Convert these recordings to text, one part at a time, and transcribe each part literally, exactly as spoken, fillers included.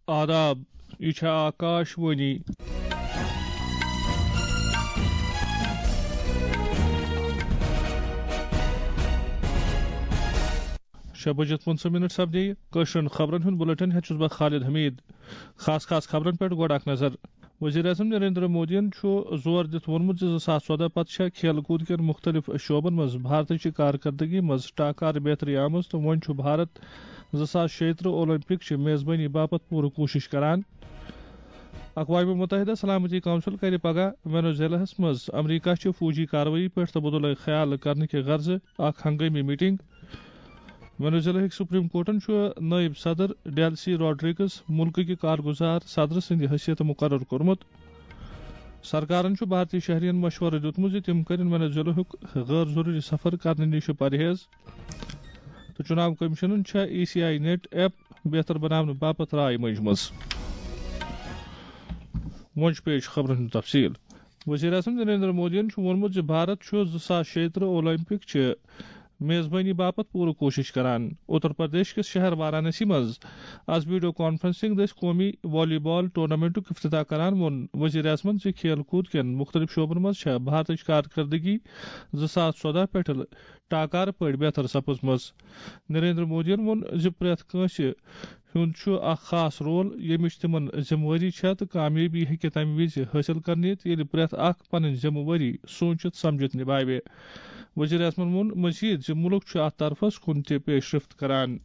آداب، یہِ چھےٚ آکاش وانی۔ شےٚ بجے پٕنٛژٕہ منٹ سپدے۔ کٲشرٮ۪ن خبرن ہُنٛد بُلٹن ہٮ۪تھ چھُس بہٕ خالد حمید۔ خاص خاص خبرن پٮ۪ٹھ گۄڈٕ اکھ نظر۔ وزیر اعظم نریندر مودیَن چھُ زور دِتھ ووٚنمُت زِ زٕ ساس ژۄدہ پتہٕ چھےٚ کھیل کوٗد کٮ۪ن مُختٔلِف شعبن منٛز بھارتٕچ کارکردگی منٛز ٹاکار بہتری آمٕژ تہٕ وۄنۍ چھُ بھارت زٕ ساس شیٚیہِ ترٕٛہ اولمپک چہِ میزبٲنی باپتھ پوٗرٕ کوٗشش کران۔ اقوام متحدہ سلامتی کونسل کرِ پگاہ وینزویلاہس منٛز امریکہ چہِ فوجی کاروٲیی پٮ۪ٹھ تبادلہ خیال کرنہٕ کہِ غرضہٕ اکھ ہنگٲمی میٹنگ۔ وینزویلاہٕکۍ سپریم کورٹن چھُ نائب صدر ڈیلسی راڈریگس مُلکٕکہِ کارگزار صدرٕ سٕنٛدِ حیثیت مقرر کوٚرمُت۔ سرکارن چھُ بھارتی شہرین مشورٕ دیُتمُت زِ تِم کٔرِن وینزویلاہُک غٲر ضروٗری سفر کرنہٕ نِش پرہیز۔ تہٕ چُناو کمیشنن چھےٚ ای سی آئی نیٹ ایپ بہتر بناونہٕ باپتھ راے مٔنجمٕژ۔ وۄنۍ چھُ پیش خبرن ہُنٛد تفصیل۔ وزیر اعظم نریندر مودیَن چھُ ووٚنمُت زِ بھارت چھُ زٕ ساس شیٚیہِ ترٕٛہ اولمپک چہِ میزبٲنی باپتھ پوٗرٕ کوٗشش کران۔ اتر پردیش کِس شہر وارانسی منٛز از ویڈیو کانفرنسنگ دٔسۍ قومی والی بال ٹورنامنٹُک افتتاح کران ووٚن وزیر اعظمَن زِ کھیل کوٗد کٮ۪ن مُختٔلِف شعبن منٛز چھےٚ بھارتٕچ کارکردگی زٕ ساس ژۄدہ پٮ۪ٹھٕ ٹاکار پٲٹھۍ بہتر سپٕزمٕژ۔ نریندر مودیَن ووٚن زِ پرٛٮ۪تھ کٲنٛسہِ ہُنٛد چھُ اکھ خاص رول، ییٚمِچ تِمن ذمہٕ وٲری چھےٚ تہٕ کامیٲبی ہیٚکہِ تَمہِ وِزِ حٲصِل کرنہِ ییٚلہِ پرٛٮ۪تھ اکھ پنٕنۍ ذمہٕ وٲری سوٗنچِتھ سمجھِتھ نِبھاوِ۔ وزیر اعظمن ووٚن مزید زِ مُلک چھُ اتھ طرفس کُن تہِ پیش رفت کران۔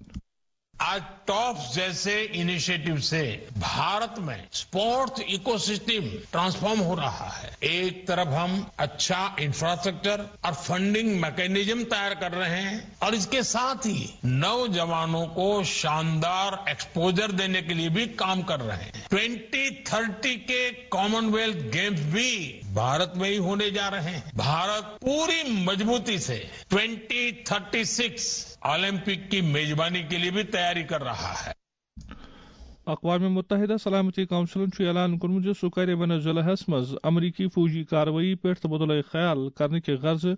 आज टॉप्स जैसे इनिशिएटिव से भारत में स्पोर्ट्स इकोसिस्टम ट्रांसफॉर्म हो रहा है। एक तरफ हम अच्छा इंफ्रास्ट्रक्चर और फंडिंग मैकेनिज्म तैयार कर रहे हैं और इसके साथ ही नौजवानों को शानदार एक्सपोजर देने के लिए भी काम कर रहे हैं। ट्वेंटी थर्टी के कॉमनवेल्थ गेम्स भी भारत में ही होने जा रहे हैं। भारत पूरी मजबूती से ट्वेंटी थर्टी सिक्स ओलंपिक की मेजबानी के लिए भी तैयारी कर रहा है। اقوام متحدہ سلامتی کونسلن چھُ اعلان کوٚرمُت زِ سُہ کرِ وینزویلاہس منٛز امریکی فوجی کاروٲیی پٮ۪ٹھ تبادلہ خیال کرنہٕ کہِ غرضہٕ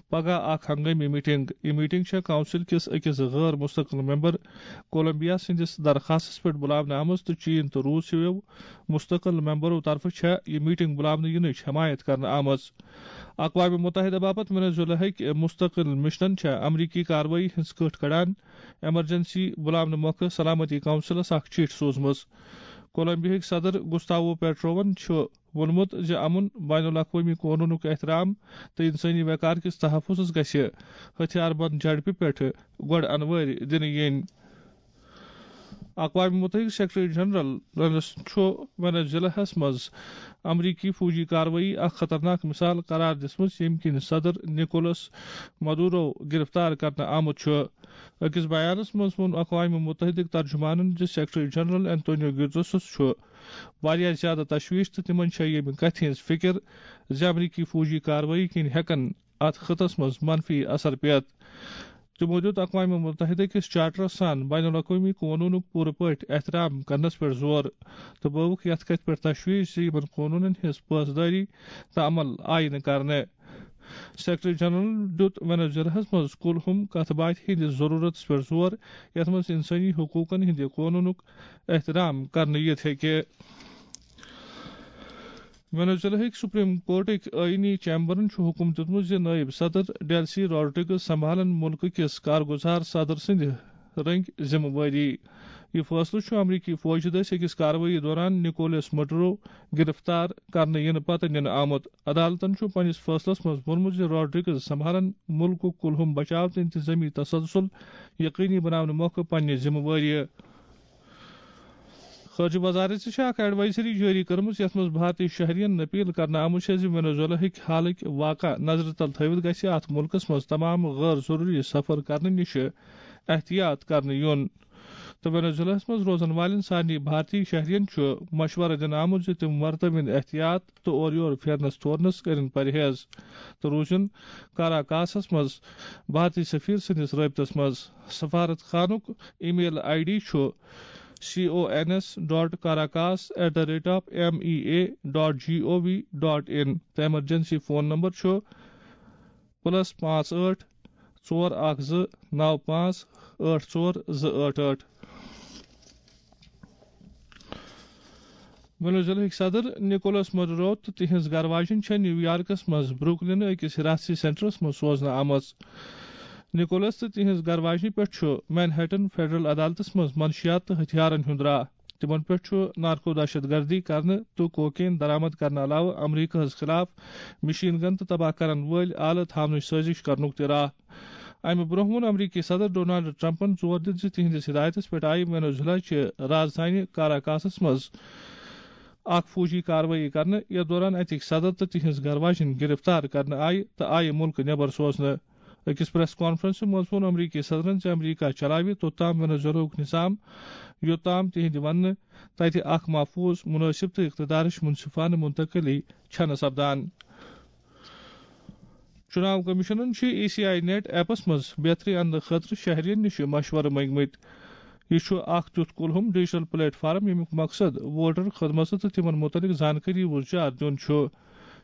پگاہ اکھ ہنگٲمی میٹنگ۔ یہِ میٹنگ چھےٚ کونسل کِس أکِس غٲر مستقل ممبر کولمبیا سٕنٛدِس درخاستس پٮ۪ٹھ بُلاونہٕ آمٕژ تہٕ چین تہٕ روٗس ہِویو مستقل ممبرو طرفہٕ چھےٚ یہِ میٹنگ بُلاونہٕ یِنٕچ حمایت کرنہٕ آمٕژ۔ اقوام متحدہ باپتھ وینزویلاہٕکۍ مستقل مشنن چھےٚ امریکی کاروٲیی ہٕنٛز کٔٹھ کڑان ایمرجنسی بُلاونہٕ مۄکھٕ سلامتی کونسلس اکھ چِٹھۍ سوٗزمٕژ۔ کولمبیاہٕکۍ صدر گُستاوو پیٹروون چھُ ووٚنمُت زِ امن، بین الاقوٲمی قونوٗنُک احترام تہٕ انسٲنی وقار کِس تحفظس گژھِ ہتھیار بند جھڑپہِ پٮ۪ٹھ گۄڈٕ انوٲرۍ دِنہٕ یِنۍ۔ اقوام متحدہ سیکرٹری جنرل چھُ وینزویلاہس منٛز امریکی فوجی کاروٲیی اکھ خطرناک مثال قرار دِژمٕژ، ییٚمہِ کِنۍ صدر نکولس مدورو گرفتار کرنہٕ آمُت چھُ۔ أکِس بیانس منٛز ووٚن اقوام متحدٕکۍ ترجمانن زِ سیکرٹری جنرل انتونیو گیوترسس چھُ واریاہ زیادٕ تشویش تہٕ تِمن چھےٚ ییٚمہِ کتھِ ہٕنٛز فکر زِ امریکی فوجی کاروٲیی کِنۍ ہٮ۪کن اتھ خطس منٛز منفی اثر پٮ۪تھ۔ تِمو دِیُت اقوام متحدہ کِس چارٹرس سان بین الاقوٲمی قونوٗنُک پوٗرٕ پٲٹھۍ احترام کرنس پٮ۪ٹھ زور تہٕ بٲوُکھ یتھ کتھِ پٮ۪ٹھ تشویش زِ یِمن قونوٗنن ہٕنٛز پاسدٲری تہٕ عمل آیہِ نہٕ کرنہٕ۔ سیکرٹری جنرل دِیُت وینزویلاہس منٛز کُلہُم کتھ باتھِ ہٕنٛدِس ضروٗرتس پٮ۪ٹھ زور، یتھ منٛز انسٲنی حقوٗقن ہٕنٛدِ قونوٗنُک احترام کرنہٕ یِتھ ہیٚکہِ۔ وینزویلاہٕکۍ سپریم کورٹٕکۍ آئینی چیمبرن چھُ حکم دیُتمُت زِ نائب صدر ڈیلسی راڈریگز سنبھالن مُلکہٕ کِس کارگزار صدر سٕنٛدِ رٔنگۍ ذمہٕ وٲری۔ یہِ فٲصلہٕ چھُ امریکی فوجہِ دٔسۍ أکِس کاروٲیی دوران نکولس مڈورو گرفتار کرنہٕ یِنہٕ پتہٕ نِنہٕ آمُت۔ عدالتن چھُ پننِس فٲصلس منٛز ووٚنمُت زِ راڈریگز سنبھالن مُلکُک کُلہُم بچاو تہٕ انتظامی تسلسل یقینی بناونہٕ مۄکھٕ پننہِ ذمہٕ وٲری۔ خارجہ وزارت چھِ اکھ ایڈوائزری جٲری کٔرمٕژ، یَتھ منٛز بھارتی شہرین اپیل کرنہٕ آمٕژ چھےٚ زِ وینزویلاہٕکۍ حالٕکۍ واقعہ نظرِ تل تھٲوِتھ گژھِ اتھ مُلکس منٛز تمام غٲر ضروٗری سفر کرنہٕ نِش احتیاط کرنہٕ یُن۔ تہٕ وینزویلاہس منٛز روزن والٮ۪ن سارنٕے بھارتی شہرین چھُ مشورٕ دِنہٕ آمُت زِ تِم ورتٲوِن احتیاط تہٕ اورٕ یور پھیرنس تورنس کٔرِن پرہیز تہٕ روٗزِن کاراکاسس منٛز بھارتی سفیر سٕنٛدِس رٲبطس منٛز۔ سفارت خانُک ای میل آئی ڈی چھُ C O N S dot Caracas at the rate of M E A dot G O V dot in تہٕ ایمرجنسی فون نمبر چھُ پلس پانٛژھ ٲٹھ ژور اکھ زٕ نو پانٛژھ ٲٹھ ژور زٕ ٲٹھ ٲٹھ۔ وینزویلاہٕکۍ صدر نکولس مڈورو تہٕ تِہنٛز گرٕ واجِنۍ چھےٚ نیویارکس منٛز بروکلینہٕ أکِس حراست سینٹرس منٛز سوزنہٕ آمٕژ۔ نکولس تہٕ تِہنٛز گرٕ واجنہِ پٮ۪ٹھ چھُ مینہٹن فیڈرل عدالتس منٛز منشیات تہٕ ہتھیارن ہُنٛد راہ۔ تِمن پٮ۪ٹھ چھُ نارکو دہشت گردی کرنہٕ تہٕ کوکین درآمد کرنہٕ علاوٕ امریکہس خلاف مشین گن تہٕ تباہ کرن وٲلۍ آلہٕ تھاونٕچ سٲزش کرنُک تہِ راہ۔ امہِ برونٛہہ ووٚن امریکی صدر ڈونالڈ ٹرمپن زور دِتھ زِ تِہنٛدِس ہدایتس پٮ۪ٹھ آیہِ وینزویلا چہِ راجدھانی کاراکاسس منٛز اکھ فوجی کاروٲیی کرنہٕ، یتھ دوران اتِکۍ صدر تہٕ تِہنٛز گرٕ واجِنۍ گرفتار کرنہٕ آیہِ تہٕ آیہِ مُلکہٕ نٮ۪بر سوزنہٕ۔ أکِس پریس کانفرنسہِ منٛز ووٚن امریکی صدرن زِ امریکہ چلاوِ توٚتام وینزویلاہُک نظام، یوٚتام تِہنٛدِ وننہٕ تتہِ اکھ محفوظ، مناسب تہٕ اقتدارٕچ منصفانہٕ منتقلی چھنہٕ سپدان۔ چُناو کمیشنن چھِ ای سی آئی نیٹ ایپس منٛز بہتری اننہٕ خٲطرٕ شہرین نِش مشورٕ منٛگمٕتۍ۔ یہِ چھُ اکھ تیُتھ کُلہُم ڈیجیٹل پلیٹ فارم، ییٚمیُک مقصد ووٹر خدمژٕ تہٕ تِمن مُتعلق زانکٲری وُزجار دیُن چھُ۔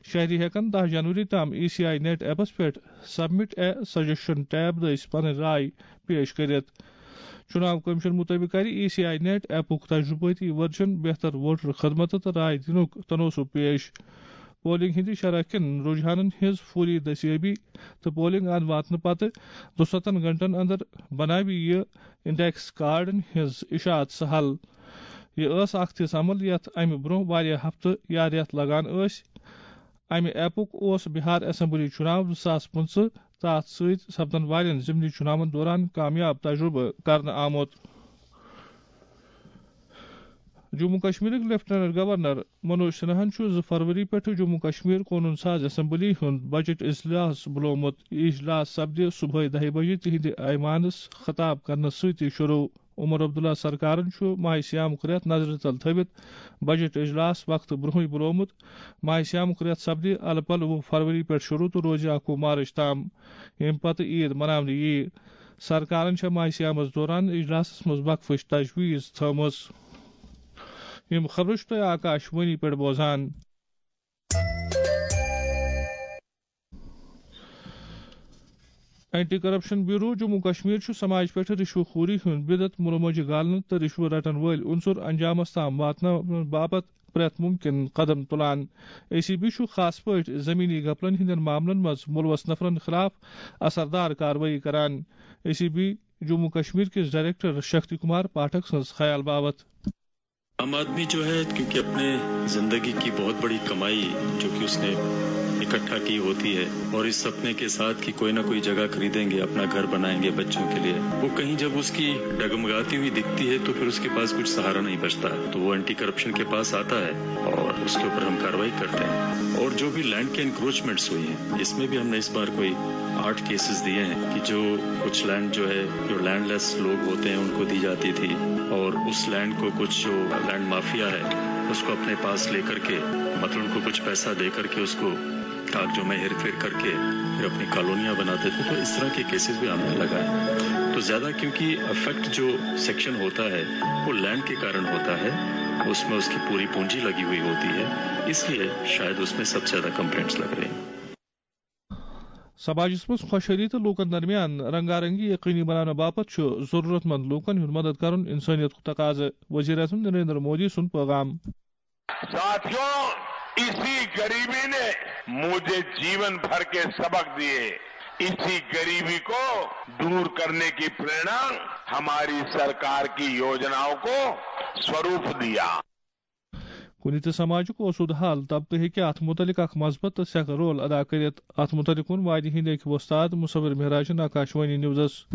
شہری ہٮ۪کن دَہ جنوری تام ای سی آئی نیٹ ایپس پٮ۪ٹھ سبمٹ اے سجیشن ٹیب دٔسۍ پنٕنۍ راے پیش کٔرِتھ۔ چُناو کمیشن مُطٲبِق کرِ ای سی آئی نیٹ ایپُک تجربٲتی ورجن بہتر ووٹر خدمتہٕ تہٕ راے دِنُک تنوسُب پیش۔ پولنگ ہٕنٛدِ شرح کٮ۪ن رجحانن ہٕنٛز فوری دستیابی تہٕ پولنگ اند واتنہٕ پتہٕ دُستتن گھنٹن اندر بناوِ یہِ انڈیکس کارڈن ہٕنٛز اشاعت سہل۔ یہِ ٲس اکھ تِژھ عمل یتھ امہِ برونٛہہ واریاہ ہفتہٕ یا رٮ۪تھ لگان ٲسۍ۔ امہِ ایپُک اوس بہار اسمبلی چُناو زٕ ساس پٕنٛژٕہ تہٕ اتھ سۭتۍ سپدن والٮ۪ن ضمنی چُناون دوران کامیاب تجربہٕ کرنہٕ آمُت۔ جموں کشمیرٕکۍ لیفٹیننٹ گورنر منوج سنہاہن چھُ زٕ فروری پٮ۪ٹھٕ جموں کشمیر قونوٗن ساز اسمبلی ہُنٛد بجٹ اجلاس بُلومُت۔ یہِ اجلاس سپدِ صبحٲے دَہہِ بجہِ تِہنٛدِ ایوانس خطاب کرنہٕ سۭتی شروع۔ عمر عبداللہ سرکارن چھُ ماہِ صیامُک رٮ۪تھ نظرِ تل تھٲوِتھ بجٹ اجلاس وقتہٕ برونٛہٕے بُلومُت۔ ماہِ صیامُک رٮ۪تھ سپدِ الہٕ پلہٕ وُہ فروری پٮ۪ٹھ شروع تہٕ روزِ اکوُہ مارچ تام، ییٚمہِ پتہٕ عید مناونہٕ یِیہِ۔ سرکارن چھےٚ ماہِ صیامس دوران اجلاسس منٛز وقفٕچ تجویز تھٲومٕژ۔ یِم خبرٕ چھِو تُہۍ آکاش وانی پٮ۪ٹھ بوزان۔ Anti corruption bureau Jammu Kashmir چھُ سماج پٮ۪ٹھ رشوٕ خوری ہُنٛد بدعت مُلہٕ مۄنجہِ گالنہٕ تہٕ رشوٕ رٹن وٲلۍ عنصر انجامس تام واتناونہٕ باپتھ پرٛٮ۪تھ مُمکِن قدم تُلان۔ اے سی بی چھُ خاص پٲٹھۍ زمینی گپلن ہٕنٛدٮ۪ن معاملن منٛز مُلوث نفرن خلاف اثردار کاروٲیی کران۔ A C B Jammu Kashmir کِس ڈائریکٹر شکتی کمار پاٹھک سٕنٛز خیال باوتھ۔ आम आदमी जो है, क्योंकि अपने जिंदगी की बहुत बड़ी कमाई जो कि उसने इकट्ठा की होती है, और इस सपने के साथ कि कोई ना कोई जगह खरीदेंगे, अपना घर बनाएंगे बच्चों के लिए, वो कहीं जब उसकी डगमगाती हुई दिखती है तो फिर उसके पास कुछ सहारा नहीं बचता। तो वो एंटी करप्शन के पास आता है और उसके ऊपर हम कार्रवाई करते हैं। और जो भी लैंड के एनक्रोचमेंट्स हुई हैं, इसमें भी हमने इस बार कोई आठ केसेस दिए हैं कि जो कुछ लैंड जो है, जो लैंडलेस लोग होते हैं, उनको दी जाती थी, और उस लैंड को कुछ जो लैंड माफिया है, उसको अपने पास लेकर के, मतलब उनको कुछ पैसा दे करके उसको कागजों में हेरफेर करके फिर अपनी कॉलोनियां बनाते थे। तो इस तरह के केसेस भी हमने लगाए। तो ज्यादा, क्योंकि अफेक्ट जो सेक्शन होता है, वो लैंड के कारण होता है, उसमें उसकी पूरी पूंजी लगी हुई होती है, इसलिए शायद उसमें सबसे ज्यादा कंप्लेंट्स लग रही हैं। سماجس منٛز خۄشحٲلی تہٕ لوٗکن درمیان رنگا رنگی یقینی بناونہٕ باپتھ چھُ ضروٗرت مند لوٗکن ہُنٛد مدد کرُن انسٲنیتُک تقاضہٕ، وزیر اعظم نریندر مودی سُنٛد پیغام۔ साथियों, इसी गरीबी ने मुझे जीवन भर के सबक दिए। इसी गरीबी को दूर करने की प्रेरणा हमारी सरकार की योजनाओं को स्वरूप दिया। کُنہِ تہِ سماجُک اوسوٗدٕ حال طبقہٕ ہیٚکہِ اتھ مُتعلق اکھ مثبت تہٕ سیٚکھ رول ادا کٔرِتھ۔ اتھ مُتعلق ووٚن وادی ہٕنٛدۍ أکۍ وۄستاد مصور مہراجن آکاشوانی نیوزس۔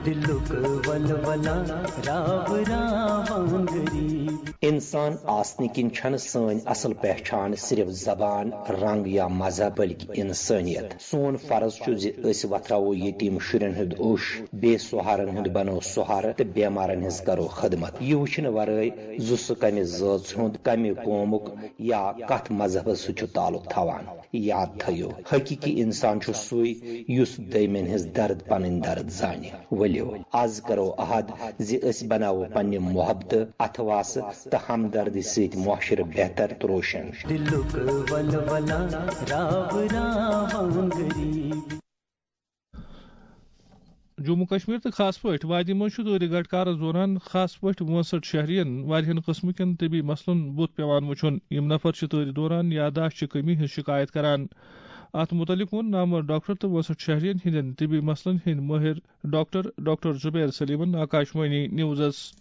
دِلُک ولولہ راو راوان غریب۔ انسان آسنہٕ کِنۍ چھنہٕ سٲنۍ اصل پہچان صرف زبان، رنگ یا مذہب، بلکہ انسانیت۔ سون فرض چھُ زِ أسۍ وۄتھراوو یتیٖم شُرٮ۪ن ہُنٛد اوٚش، بے سہارن ہُنٛد بنو سہارٕ تہٕ بیمارن ہٕنٛز کرو خدمت۔ یہِ وٕچھنہٕ ورٲے زِ سُہ کمہِ زٲژ ہُنٛد، کمہِ قومُک یا کتھ مذہبس سۭتۍ چھُ تعلق تھاوان۔ یاد تھٲیِو، حقیقی انسان چھُ سُے یُس دوٚیمٮ۪ن ہٕنٛز درد پنٕنۍ درد زانہِ۔ ؤلِو، از کرو عہد زِ أسۍ بناوو پننہِ محبتہٕ، اتھواسہٕ تہٕ ہمدردی سۭتۍ معاشرٕ بہتر تہٕ روشن۔ دِلُک ولولہ راو راوان غریب۔ جموں کشمیر تہٕ خاص پٲٹھۍ وادی منٛز چھُ تۭرِ گٹہٕ کارس دوران خاص پٲٹھۍ وٲنٛسٹھ شہرین واریاہن قٕسمٕکٮ۪ن طبی مسلن بُتھ پٮ۪وان وُچھُن۔ یِم نفر چھِ تۭرِ دوران یاداشت چہِ کمی ہٕنٛز شکایت کران۔ اتھ متعلق ووٚن نامور ڈاکٹر تہٕ وٲنٛسٹھ شہرین ہٕنٛدٮ۪ن طبی مسلن ہٕنٛدۍ مٲہر ڈاکٹر ڈاکٹر زبیر سلیمن آکاشوانی نیوزس۔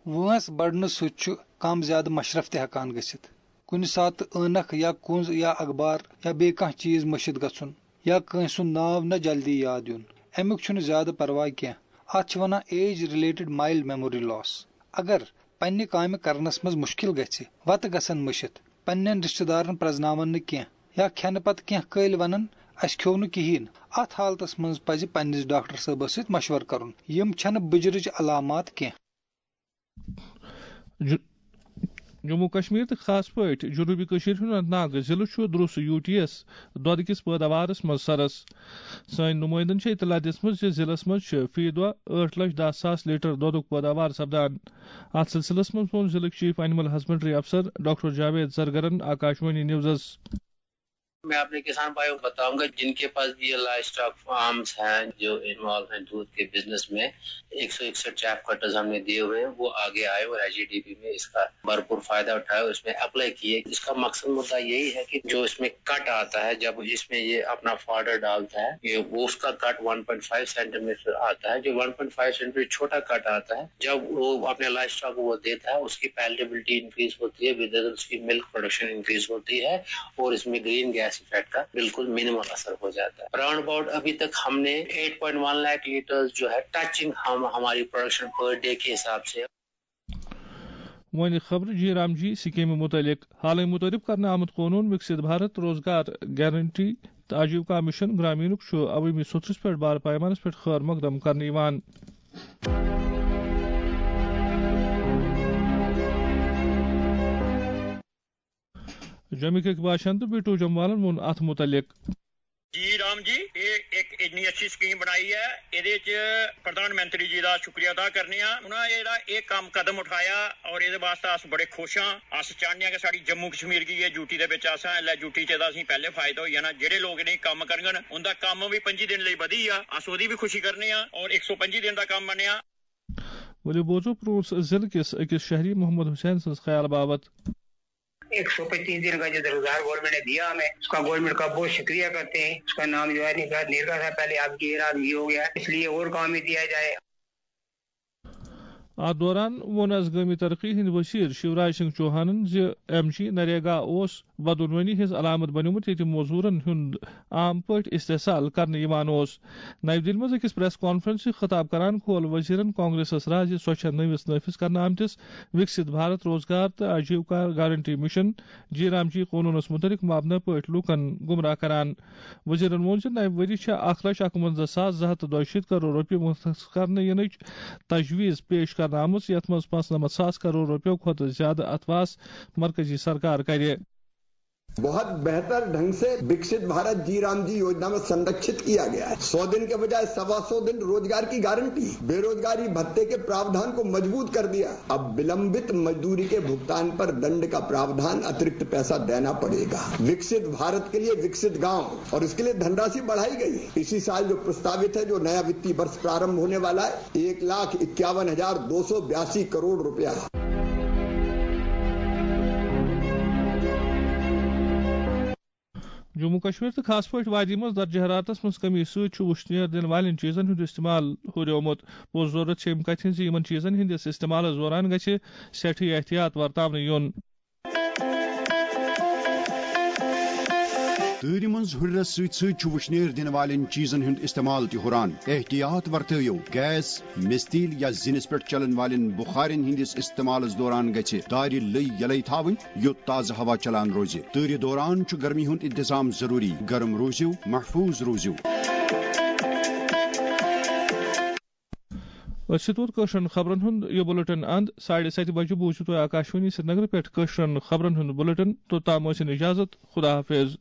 وٲنٛس بڑنہٕ سۭتۍ چھُ کم زیادٕ مشرف تہِ ہٮ۪کان گٔژھِتھ۔ کُنہِ ساتہٕ عٲنکھ یا کُنٛز یا اخبار یا بیٚیہِ کانٛہہ چیٖز مٔشِتھ گژھُن یا کٲنٛسہِ ہُنٛد ناو نہ جلدی یاد یُن، اَمیُک چھُنہٕ زیادٕ پرواے کینٛہہ۔ اَتھ چھِ وَنان ایج رِلیٹڈ مایلڈ میموری لاس۔ اگر پننہِ کامہِ کرنس منٛز مُشکِل گژھِ، وتہٕ گژھن مٔشِتھ، پننٮ۪ن رشتہٕ دارن پرزناون نہٕ کینٛہہ یا کھٮ۪نہٕ پتہٕ کینٛہہ کٲلۍ ونن، "اسہِ کھیوٚو نہٕ کِہیٖنۍ"، اتھ حالتس منٛز پزِ پننِس ڈاکٹر صٲبس سۭتۍ مشورٕ کرُن۔ یِم چھنہٕ بُجرٕچ علامات کینٛہہ۔ جموں کشمیر تہٕ خاص پٲٹھۍ جنوٗبی کٔشیٖرِ ہُنٛد اننت ناگ ضلعہٕ چھُ درُس یوٗ ٹی یَس دۄدٕ کِس پٲداوارَس منٛز سرَس۔ سٲنۍ نُمٲیندَن چھےٚ اطلاع دِژمٕژ زِ ضلعس منٛز چھِ فی دۄہ ٲٹھ لچھ دَہ ساس لیٹر دۄدُک پٲداوار سپدان۔ اَتھ سلسلس منٛز ووٚن ضلعٕکۍ چیف اینیمل ہسبنڈری افسر ڈاکٹر جاوید زرگرن آکاشوانی نیوزَس۔ میں اپنے کسان بھائیوں کو بتاؤں گا، جن کے پاس بھی یہ لائف اسٹاک فارمز ہیں، جو انوالو ہیں دودھ کے بزنس میں، ایک سو اکسٹھ چیف کٹرز ہم نے دیے ہوئے ہیں، وہ آگے آئے اور ایچ ای ڈی پی میں اس کا بھرپور فائدہ اٹھائے اور اس میں اپلائی کیے۔ اس کا مقصد مدعا یہی ہے کہ جو اس میں کٹ آتا ہے، جب اس میں یہ اپنا فاڈر ڈالتا ہے، یہ، وہ اس کا کٹ ون پوائنٹ فائیو سینٹی میٹر آتا ہے۔ جو ون پوائنٹ فائیو سینٹی میٹر چھوٹا کٹ آتا ہے، جب وہ اپنے لائف اسٹاک کو وہ دیتا ہے، اس کی پیلیٹیبلٹی انکریز ہوتی ہے، ود اس کی ملک پروڈکشن انکریز ہوتی ہے اور اس میں گرین گیس افیکٹ کا بالکل منیمل اثر ہو جاتا ہے۔ راؤنڈ اباؤٹ ابھی تک ہم نے ایٹ پوائنٹ ون لاکھ لیٹر جو ہے ٹچنگ ہم ہماری پروڈکشن پر ڈے کے حساب سے۔ وۄنۍ خبرٕ جی رام جی سکیمہِ متعلق۔ حالٕے متعارف کرنہٕ آمُت قونوٗن وِکسِت بھارت روزگار گارنٹی تہٕ آجیوکا مشن گرامینُک چھُ عوٲمی سوٚتھرِس پٮ۪ٹھ بار پیمانس پٮ۪ٹھ خٲر مقدم کرنہٕ یِوان۔ جمکٕکۍ باشندٕ بیٹو جموالن ووٚن اتھ متعلق۔ جی رام جی، یہ ایک اتنی اچھی سکیم بنائی ہے، یہ پردھان منتری جی کا شکریہ ادا کرنے ہاں۔ انہاں یہ کام قدم اٹھایا اور یہ واسطے اس بڑے خوش ہاں۔ اس چاہنے ہاں کہ ساری جموں کشمیر کی یہ ڈیوٹی دے وچ اساں ایلے ڈیوٹی چ اسی پہلے فائدہ ہوئی جانا۔ جڑے لوگ نہیں کام کرن، ان دا کام بھی پنجی دن لئی ودی آ، اس وہدی بھی خوشی کرنے ہاں اور ایک سو پنجی دن دا کام بنیا۔ ؤلِو بوزو پرٛوٚنٛس ضلعہٕ کِس أکِس شہری محمد حسین سٕنٛز خیال باوت۔ ایک سو پچیس دن کا جو روزگار گورنمنٹ نے دیا ہمیں، اس کا گورنمنٹ کا بہت شکریہ کرتے ہیں۔ اس کا نام جو ہے نرگا، نرگا تھا پہلے، اب یہ نام یہ ہو گیا، اس لیے اور کام بھی دیا جائے۔ اتھ دوران ووٚن از گٲمی ترقی ہٕنٛدۍ وزیر شیوراج سنگھ چوہانن زِ ایم جی نریگا اوس بدعنوانی ہٕنٛز علامت بنیومُت، ییٚتہِ موزوٗرن ہُنٛد عام پٲٹھۍ استحصال کرنہٕ یِوان اوس۔ نَیہِ دِلہِ منٛز أکِس پریس کانفرنسہِ خطاب کران کھول وزیرن کانگریسس راز زِ سۄ چھےٚ نٔوِس نافذ کرنہٕ آمتِس وِکسِت بھارت روزگار تہٕ آجیوکا گارنٹی مشن جی رام جی قونوٗنس مُتعلق مبنی پٲٹھۍ لوٗکن گمراہ کران۔ وزیرن ووٚن زِ نَوِ ؤری چھےٚ اکھ لچھ اَکوَنزاہ ساس زٕ ہَتھ تہٕ دۄیہِ شیٖتھ کرور رۄپیہِ مُختص کرنہٕ یِنٕچ تجویز پیش کرنہٕ آمٕژ، یَتھ منٛز پانٛژنَمَتھ ساس کرور رۄپیو کھۄتہٕ زیادٕ اتھواس مرکزی سرکار کرِ۔ बहुत बेहतर ढंग से विकसित भारत जी राम जी योजना में संरक्षित किया गया है। सौ दिन के बजाय सवा सौ दिन रोजगार की गारंटी, बेरोजगारी भत्ते के प्रावधान को मजबूत कर दिया। अब विलंबित मजदूरी के भुगतान पर दंड का प्रावधान, अतिरिक्त पैसा देना पड़ेगा। विकसित भारत के लिए विकसित गांव, और इसके लिए धनराशि बढ़ाई गई है। इसी साल जो प्रस्तावित है, जो नया वित्तीय वर्ष प्रारंभ होने वाला है, एक लाख इक्यावन हजार दो सौ बयासी करोड़ रुपया। جموں کشمیر تہٕ خاص پٲٹھۍ وادی منٛز درجہ حرارتس منٛز کمی سۭتۍ چھُ وُشنیر دِنہٕ والٮ۪ن چیٖزن ہُنٛد استعمال ہُریومُت۔ پوٚز ضروٗرت چھِ اَمہِ کتھِ ہٕنٛز زِ یِمن چیٖزن ہٕنٛدِس استعمالس دوران گژھِ سٮ۪ٹھٕے احتیاط ورتاونہٕ یُن۔ تۭرِ منٛز ہُرٮ۪رس سۭتۍ سۭتۍ چھُ وُشنیر دِنہٕ والٮ۪ن چیٖزن ہُنٛد استعمال تہِ ہُران۔ احتیاط ورتٲیِو، گیس، مِستیٖل یا زِنِس پٮ۪ٹھ چلن والٮ۪ن بُخارٮ۪ن ہٕنٛدِس استعمالس دوران گژھِ دارِ لٔۍ یلے تھاوٕنۍ، یوٚت تازٕ ہوا چلان روزِ۔ تۭرِ دوران چھُ گرمی ہُنٛد انتظام ضروٗری۔ گرم روٗزِو، محفوٗظ روٗزِو۔ أتھۍ سۭتۍ ووت کٲشرٮ۪ن خبرن ہُنٛد یہِ بُلٹن اند۔ ساڑِ ستہِ بجہِ بوٗزِو تُہۍ آکاشوانی سرینگرٕ پٮ۪ٹھ کٲشرٮ۪ن خبرن ہُنٛد بُلٹن۔ توٚتام ٲسِن اجازت۔ خدا حافظ۔